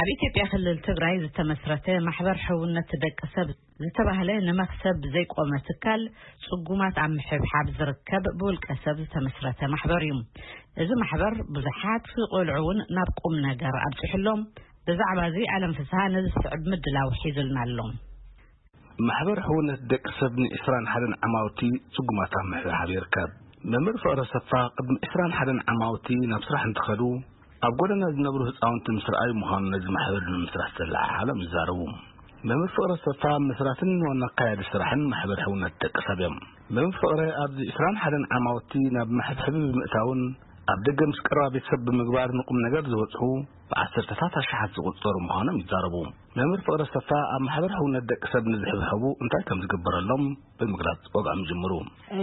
ኣብ ኢትዮጵያ ክልል ትግራይ ዝተመስረተ ማሕበር ሕውነት ደቂ ሰብ ዝተባህለ ንመክሰብ ዘይቆመ ትካል ጽጉማት ኣብ ምሕብሓብ ዝርከብ ብውልቀ ሰብ ዝተመስረተ ማሕበር እዩ። እዚ ማሕበር ብዙሓት ቆልዑ እውን ናብ ቁም ነገር ኣብፅሕሎም። ብዛዕባ እዚ ኣለም ፍስሃ ነዚ ስዕብ ምድላው ሒዙልና ኣሎ። ማሕበር ሕውነት ደቂ ሰብ ን21 ዓማውቲ ጽጉማት ኣብ ምሕብሓብ ይርከብ። መምህር ፍቕረ ሰፋ ቅድሚ 21 ዓማውቲ ናብ ስራሕ እንትኸዱ ኣብ ጎደና ዝነብሩ ህፃውንቲ ምስ ረኣዩ ምዃኑ ነዚ ማሕበር ንምስራሕ ዘለዓዓሎም ይዛረቡ። መምህር ፍቕረ ሰፋ መስራትን ዋና ኣካያዲ ስራሕን ማሕበር ሕውነት ደቂ ሰብ እዮም። መምህር ፍቕረ ኣብዚ 21 ዓማውቲ ናብ መሕብሐቢ ብምእታውን ኣብ ደገ ምስ ቀረባ ቤተሰብ ብምግባር ንቁም ነገር ዝበፅሑ ብዓሰርተታት ኣሽሓት ዝቑፀሩ ምዃኖም ይዛረቡ። መምህር ፍቕረ ሰፋ ኣብ ማሕበር ሕውነት ደቂ ሰብ ንዝሕብሐቡ እንታይ ከም ዝግበረሎም ብምግላፅ ወግዖም ይጅምሩ።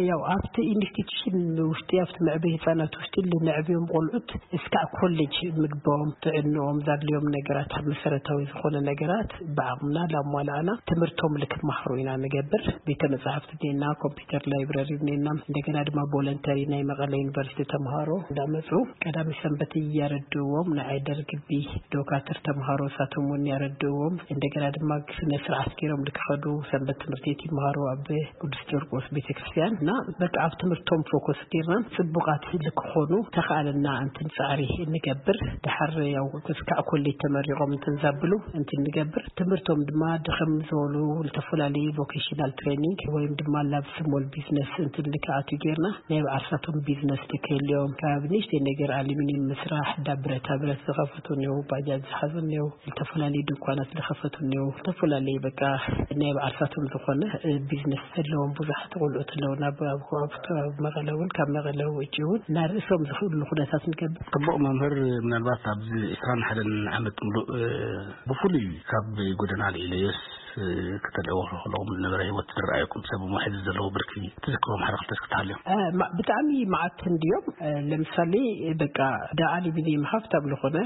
ያው ኣብቲ ኢንስቲትዩሽን ውሽጢ ኣብቲ መዕበይ ህፃናት ውሽጢ ልንዕብዮም ቆልዑት እስካዕ ኮሌጅ ምግቦም፣ ጥዕንኦም፣ ዛድልዮም ነገራት፣ ኣብ መሰረታዊ ዝኾነ ነገራት ብዓቕምና ላሟላእና ትምህርቶም ልክመሃሩ ኢና ንገብር። ቤተ መጻሕፍቲ ኔና፣ ኮምፒውተር ላይብረሪ ኔና፣ እንደገና ድማ ቮለንተሪ ናይ መቐለ ዩኒቨርሲቲ ተምሃሮ እንዳመፁ ቀዳሚ ሰንበት እያረድዎም ንዓይ ደርግቢ ዶካትር ተምሃሮ ሳቶም እውን ያረድዎም። እንደገና ድማ ስነ ስርዓት ገይሮም ልክኸዱ ሰንበት ትምህርቲ ቤት ይመሃሩ ኣብ ቅዱስ ጀርቆስ ቤተክርስትያን እና በቃ ኣብ ትምህርቶም ፎከስ ጌርና ጽቡቃት ልክኾኑ ተኻእለና እንትን ጻዕሪ እንገብር። ድሓር ያው ክስካዕ ኮሌጅ ተመሪቖም እንትን ዛብሉ እንትን ንገብር። ትምህርቶም ድማ ድኸም ዝበሉ ዝተፈላለዩ ቮኬሽናል ትሬኒንግ ወይም ድማ ናብ ስሞል ቢዝነስ እንትን ልክኣቱ ጌርና ናይ ብዓርሳቶም ቢዝነስ ትክህልዮም ካብ ንእሽተይ ነገር ኣሉሚኒየም ምስራሕ፣ ዳ ብረታ ብረት ዝኸፈቱ እኒው፣ ባጃጅ ዝሓዙ እኒው፣ ዝተፈላለዩ ድንኳናት ዝኸፈቱ እኒው፣ ዝተፈላለዩ በቃ ናይ ብዓርሳቶም ዝኾነ ቢዝነስ ዘለዎም ብዙሓት ቆልዑት ኣለውና። ኣብ መቐለ እውን ካብ መቐለ ውጭ እውን እና ርእሶም ዝኽእሉ ኩነታት ንገብር። ጽቡቕ መምህር፣ ምናልባት ኣብዚ 21 ዓመት ሙሉእ ብፍሉይ ካብ ጎደና ልኢለዮስ ከተልዕዎ ከለኹም ዝነበረ ህይወት ዝረኣየኩም ሰብ ሞሒዝ ዘለዎ ብርኪ ትዝክሮም ሓደ ክልተ እስኪ ትሃልዮም? ብጣዕሚ መዓት እንድዮም። ለምሳሌ በቃ ዳ ኣሉሚኒየም ሃፍታም ዝኾነ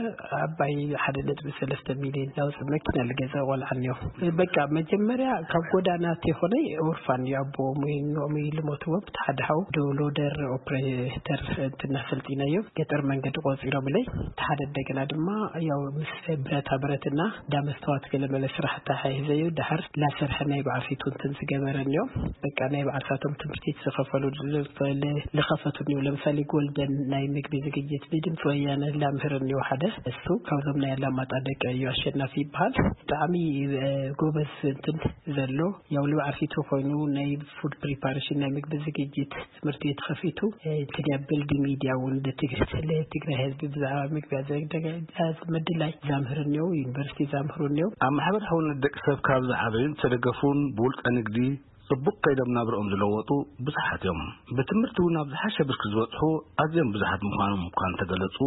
ኣባይ ሓደ ነጥቢ ሰለስተ ሚሊዮን ያውፅእ መኪና ልገዛ ቆልዓ እኒዮ። በቃ መጀመርያ ካብ ጎዳና ተይኾነ ኦርፋን እዩ ኣቦኦም ወይ እኖኦም እዩ ልሞትዎም። እቲ ሓደ ሓው ዶ ሎደር ኦፕሬተር እንትን ኣሰልጢነዮ ገጠር መንገዲ ቆፂሮምለይ። እቲ ሓደ እንደገና ድማ ያው ምስ ብረታ ብረትና ዳ መስተዋት ገለመለ ስራሕ ኣተሓሒዘዮ። ድሓር ላሰርሐ ናይ በዓል ፊቱ እንትን ዝገበረ እኒኦ። በቃ ናይ በዓል ሳቶም ትምህርቲ ዝኸፈሉ ዝኸፈቱ እኒኦ። ለምሳሌ ጎልደን ናይ ምግቢ ዝግጅት ብድምፂ ወያነ ላምህር እኒኦ ሓደ እሱ ካብዞም ናይ ኣላማጣ ደቂ እዩ ኣሸናፊ ይበሃል። ብጣዕሚ ጎበዝ እንትን ዘሎ ያው ልብዓል ፊቱ ኮይኑ ናይ ፉድ ፕሪፓሬሽን ናይ ምግቢ ዝግጅት ትምህርቲ ቤት ከፊቱ ትገብር ድሚድያ እውን ትግርት ለትግራይ ህዝቢ ብዛዕባ ምግቢ ኣዘጋጃጀት ምድላይ ዛምህር እኒው ዩኒቨርሲቲ ዛምህር እኒው። ኣብ ማሕበር ሕውነት ደቂ ሰብ ካብ ዝዓበዩን ዝተደገፉን ብውልቀ ንግዲ ጽቡቕ ከይዶም ናብርኦም ዝለወጡ ብዙሓት እዮም። ብትምህርቲ እውን ኣብ ዝሓሸ ብርኪ ዝበጽሑ ኣዝዮም ብዙሓት ምዃኖም እኳ እንተገለጹ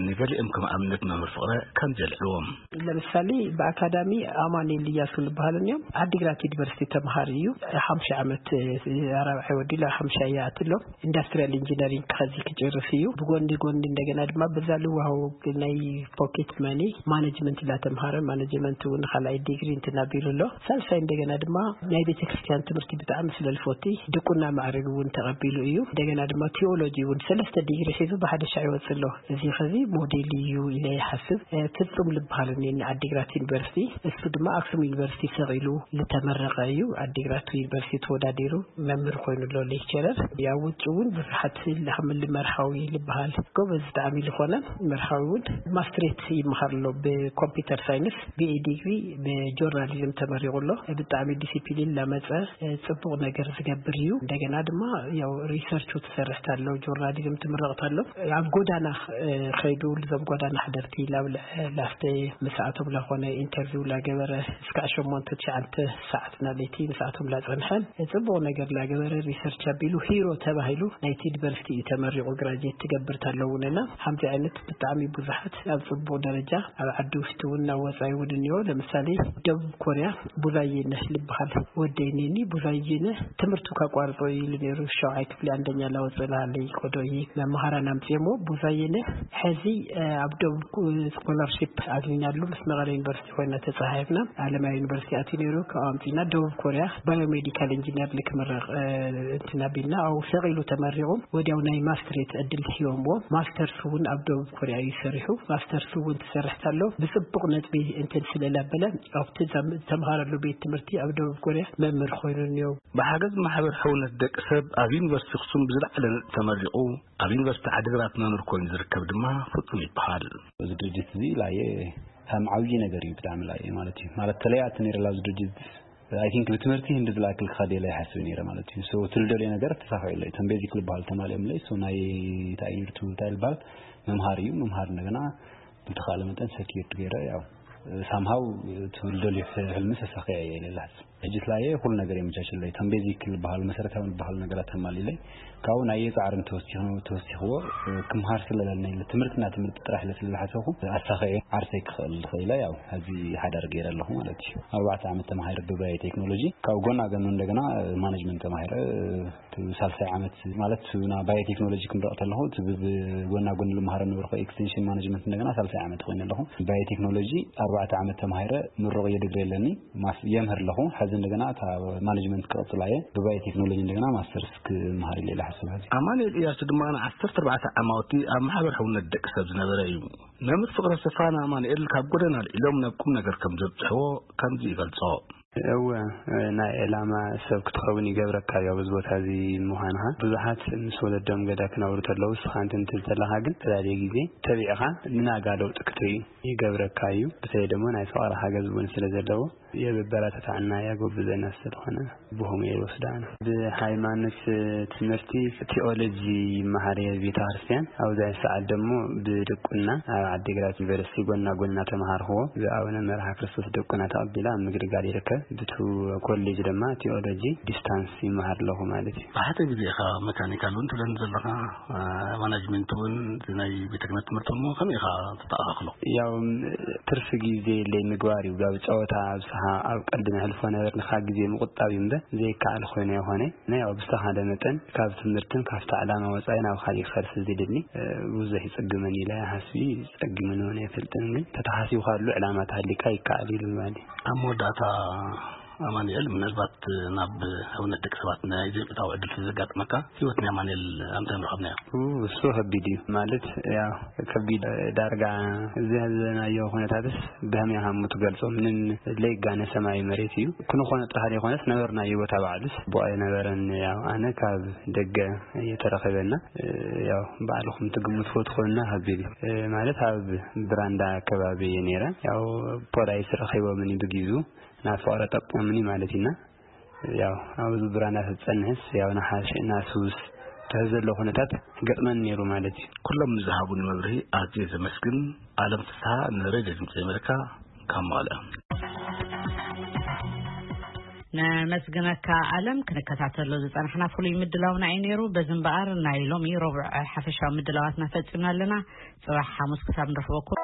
ንገሊኦም ከም ኣብነት መምህር ፍቕረ ከምዚ የልዕልዎም። ለምሳሌ ብኣካዳሚ ኣማኑኤል እያሱ ዝበሃሉ እዮም። ዓዲግራት ዩኒቨርሲቲ ተምሃሪ እዩ። ሓምሻ ዓመት ኣራብዓይ ወዲሉ ኣብ ሓምሻ እያ ኣትሎ። ኢንዱስትሪያል ኢንጂነሪንግ ከዚ ክጭርስ እዩ። ብጎኒ ጎኒ እንደገና ድማ ብዛ ልዋሃው ናይ ፖኬት መኒ ማኔጅመንት እንዳተምሃረ ማኔጅመንት እውን ካልኣይ ዲግሪ እንትናቢሉ ኣሎ። ሳልሳይ እንደገና ድማ ናይ ቤተክርስትያን ትምህርቲ ብጣዕሚ ስለልፎቲ ድቁና ማዕረግ እውን ተቐቢሉ እዩ። እንደገና ድማ ቴዎሎጂ እውን ሰለስተ ዲግሪ ሒዙ ብሓደ ሻዕ ይወፅእ ኣሎ። እዚ ኸዚ ሞዴል እዩ ኢለ ይሓስብ። ፍጹም ልበሃል እኒኒ ዓዲግራት ዩኒቨርሲቲ፣ እሱ ድማ ኣክሱም ዩኒቨርሲቲ ሰቒሉ ዝተመረቐ እዩ። ዓዲግራት ዩኒቨርሲቲ ተወዳዲሩ መምህር ኮይኑ ኣሎ ሌክቸረር። ኣብ ውጭ እውን ብዙሓት ላምል መርሃዊ ልበሃል ጎበዝ ብጣዕሚ ዝኾነ መርሃዊ እውን ማስትሬት ይመሃር ኣሎ ብኮምፒውተር ሳይንስ ቢኤ ዲግሪ ብጆርናሊዝም ተመሪቑ ኣሎ። ብጣዕሚ ዲሲፕሊን ላመፀ ጽቡቕ ነገር ዝገብር እዩ። እንደገና ድማ ያው ሪሰርቹ ትሰርሕ ታለው ጆርናሊዝም ትምረቕ ታሎ ኣብ ጎዳና ኸይዱ ልዞም ጎዳና ሓደርቲ ላብልዐ ላስተ ምስኣቶም ላኾነ ኢንተርቪው ላገበረ እስካዕ ሸሞንተ ትሽዓንተ ሰዓት ናለይቲ ምስኣቶም ላጸንሐን ጽቡቕ ነገር ላገበረ ሪሰርች ኣቢሉ ሂሮ ተባሂሉ ናይቲ ዩኒቨርሲቲ እዩ ተመሪቑ ግራጅዌት ትገብር ታለውንና ሓምዚ ዓይነት ብጣዕሚ ብዙሓት ኣብ ጽቡቕ ደረጃ ኣብ ዓዲ ውሽጢ እውን ናብ ወጻኢ እውን እኒኦ። ለምሳሌ ደቡብ ኮርያ ቡዛየነህ ልበሃል ወደይ ኔኒ ባየነ ትምህርቱ ካቋርጦ ኢሉ ነይሩ። ሸውዓይ ክፍሊ አንደኛ ላወፅእ ላሃለይ ቆዶ እይ መምሃራን ኣምፅኦሞ። ቡዛየነ ሕዚ ኣብ ደቡብ ስኮላርሺፕ ኣግኒናሉ ምስ መቐለ ዩኒቨርሲቲ ኮይና ተፃሓፍና። ኣለማያ ዩኒቨርሲቲ ኣትዩ ነይሩ። ካብ ኣምፂና ደቡብ ኮሪያ ባዮሜዲካል ኢንጂነር ንክምረቕ እንትን ኣቢልና፣ ኣብኡ ሰቒሉ ተመሪቑ። ወዲያው ናይ ማስትሬት ዕድል ሂቦምዎ። ማስተርስ እውን ኣብ ደቡብ ኮሪያ እዩ ሰሪሑ። ማስተርስ እውን ትሰርሕ ታሎ ብፅቡቕ ነጥቢ እንትን ስለላበለ ኣብቲ ተምሃረሉ ቤት ትምህርቲ ኣብ ደቡብ ኮሪያ መምህር ኮይኑ እኒኦ። ብሓገዝ ማሕበር ሕውነት ደቂ ሰብ ኣብ ዩኒቨርሲቲ ኣኽሱም ብዝለዓለ ነጥቢ ተመሪቑ፣ ኣብ ዩኒቨርሲቲ ዓዲግራት መምህር ኮይኑ ዝርከብ ድማ ፍጹም ይበሃል። እዚ ድርጅት እዚ ላየ ከም ዓብዪ ነገር እዩ ብጣዕሚ ላየ ማለት እዩ። ማለት ተለያት ነይረ ላዚ ድርጅት። ኣይ ቲንክ ብትምህርቲ ህንዲ ዝለኣክል ክኸድ የለ ይሓስብ ነይረ ማለት እዩ። ሶ ትልደልዮ ነገር ተሳኺዑለይ። እቶም ቤዚክ ዝበሃል ተማልኦምለይ። ሶ ናይ እንታይ እዩ እንታይ ዝበሃል መምሃር እዩ። መምሃር እንደገና ብተኻለ መጠን ሰኪርድ ገይረ ያው ሳምሃው ትልደልዮ ሕልሚ ተሳኺዐ እየ ኢለ ዝሓስብ። ሕጂ ስላየ ኩሉ ነገር የመቻችለይ። እቶም ቤዚክ ዝበሃሉ መሰረታዊ ዝበሃሉ ነገራት ተማሊለይ ካብኡ ናይ ጻዕርን ተወሲኽዎ ክምሃር ስለለኒ ትምህርትና ትምህርቲ ጥራሕ ስለ ዝሓሰብኩ ኣሳኺዐ ዓርሰይ ክኽእል ዝኽእለ ያው ሕዚ ሓዳር ገይረ ኣለኹ ማለት እዩ። ኣርባዕተ ዓመት ተማሂረ ብባዮ ቴክኖሎጂ ካብ ጎና ጎኑ እንደገና ማኔጅመንት ተማሂረ ሳልሳይ ዓመት ማለት ና ባዮ ቴክኖሎጂ ክንረቕ ተለኹ ብጎና ጎኒ ልምሃረ ነበርኩ ኤክስቴንሽን ማኔጅመንት እንደገና ሳልሳይ ዓመት ኮይኑ ኣለኹ። ባዮ ቴክኖሎጂ ኣርባዕተ ዓመት ተማሂረ ምሩቕ የድግሪ ኣለኒ። የምህር ኣለኹ። ሕዚ እንደገና እታ ማኔጅመንት ክቐጽላ እየ። ብባዮ ቴክኖሎጂ እንደገና ማስተርስ ክመሃር ኢለ ሓስብ። ሕዚ ኣማኑኤል እያሱ ድማ ንዓሰርተ ኣርባዕተ ዓማውቲ ኣብ ማሕበር ሕውነት ደቂ ሰብ ዝነበረ እዩ። መምህር ፍቕረ ሰፋን ኣማኑኤል ካብ ጎደና ኣልዒሎም ናብ ቁም ነገር ከም ዘብፅሕዎ ከምዚ ይገልጾ። እወ፣ ናይ ዕላማ ሰብ ክትኸውን ይገብረካ እዩ ኣብዚ ቦታ እዚ ምዃንኻ። ብዙሓት ምስ ወለዶም ገዳ ክነብሩ ተለዉ፣ ንስኻ እንትን ትብል ተለኻ ግን ተላለየ ግዜ ተቢዕኻ ንናጋ ለውጢ ክትርኢ ይገብረካ እዩ። ብተለይ ደሞ ናይ ፍቕሪ ሓገዝ እውን ስለ ዘለዎ የበረታትዓና ያጎብዘና ስለኾነ ብኸምኡ እየ ዝወስዶ ኣነ። ብሃይማኖት ትምህርቲ ቲኦሎጂ ይመሃር እየ ቤተ ክርስቲያን። ኣብዚ ሰዓት ደሞ ብድቁና ኣብ ዓዲግራት ዩኒቨርሲቲ ጎና ጎና ተምሃርክዎ። ብኣቡነ መርሃ ክርስቶስ ድቁና ተቐቢለ ኣብ ምግልጋል ይርከብ። ብቱ ኮሌጅ ድማ ቲኦሎጂ ዲስታንስ ይመሃር ኣለኹ ማለት እዩ። ብሓደ ግዜ ኢኻ መካኒካል እውን ትብለኒ ዘለኻ፣ ማናጅመንት እውን ናይ ቤተ ክህነት ትምህርቲ እውን ከመይ ኢኻ ተተኣኻኽሎ? ያው ትርፊ ግዜ የለይ ምግባር እዩ። ኣብ ጨወታ ኣብዝሓ ኣብ ቀልዲ ነሕልፎ ነበርና፣ ካብ ግዜ ምቁጣብ እዩ እምበር ዘይከኣል ኮይነ ይኾነ። ናይ ያው ብዝተኻለ መጠን ካብ ትምህርትን ካብቲ ዕላማ ወጻኢ ናብ ካሊእ ክኸድ ስለ ዘይደሊ፣ እ፣ ብዙሕ ይጽግመኒ ኢለ ሓስቢ፣ ጸጊሙኒ እውን ኣይፈልጥን። ግን ተተሓሲብካሉ ዕላማ ተሃሊካ ይከኣል እዩ ንምባል እዩ። ኣብ መወዳእታ ኣማኑኤል፣ ምናልባት ናብ ሕውነት ደቂ ሰባት ናይ ዘይምእታው ዕድል ስለ ዘጋጠመካ፣ ህይወት ናይ ኣማኑኤል ኣምታይ ንረኸብናዮ? ኡ፣ እሱ ከቢድ እዩ። ማለት፣ ያው፣ ከቢድ፣ ዳርጋ እዚ ዘለናዮ ኩነታትስ ብኸመይ ኢኻ እሞ ትገልጾ? ምንም ለይጋነ ሰማይ መሬት እዩ። ክንኾኖ ጥራሕ ዘይኮነስ፣ ነበርናዮ ቦታ ባዕሉስ ጽቡቕ ኣይነበረን። ያው፣ ኣነ ካብ ደገ እየ ተረኺበና። ያው፣ ባዕልኹም ትግምትዎ ትኾንና ከቢድ እዩ። ማለት፣ ኣብ ብራንዳ ከባቢ እየ ነይረ። ያው፣ ፖላይስ ረኺቦምኒ ብጊዙ፣ ናብ ፍቕረ ጠቂሙኒ ማለት ኢና። ያው፣ ኣብዚ ብራንዳ ተጸንሕስ፣ ያው፣ ንሓሽ፣ ናሱስ፣ ትሕዝ ዘሎ ኩነታት ገጥመኒ ነይሩ ማለት እዩ። ኩሎም ንዝሃቡኒ መብርሂ ኣዝየ ዘመስግን። ኣለም ፍስሃ፣ ንሬድዮ ድምፂ ኣሜሪካ፣ ካብ መቐለ። ነመስግነካ ኣለም። ክንከታተሎ ዝጸናሕና ፍሉይ ምድላውና እዩ ነይሩ። በዚ እምበኣር ናይ ሎሚ ረቡዕ ሓፈሻዊ ምድላዋትና ፈጺምና ኣለና። ጽባሕ ሓሙስ ክሳብ ንረኽበኩም።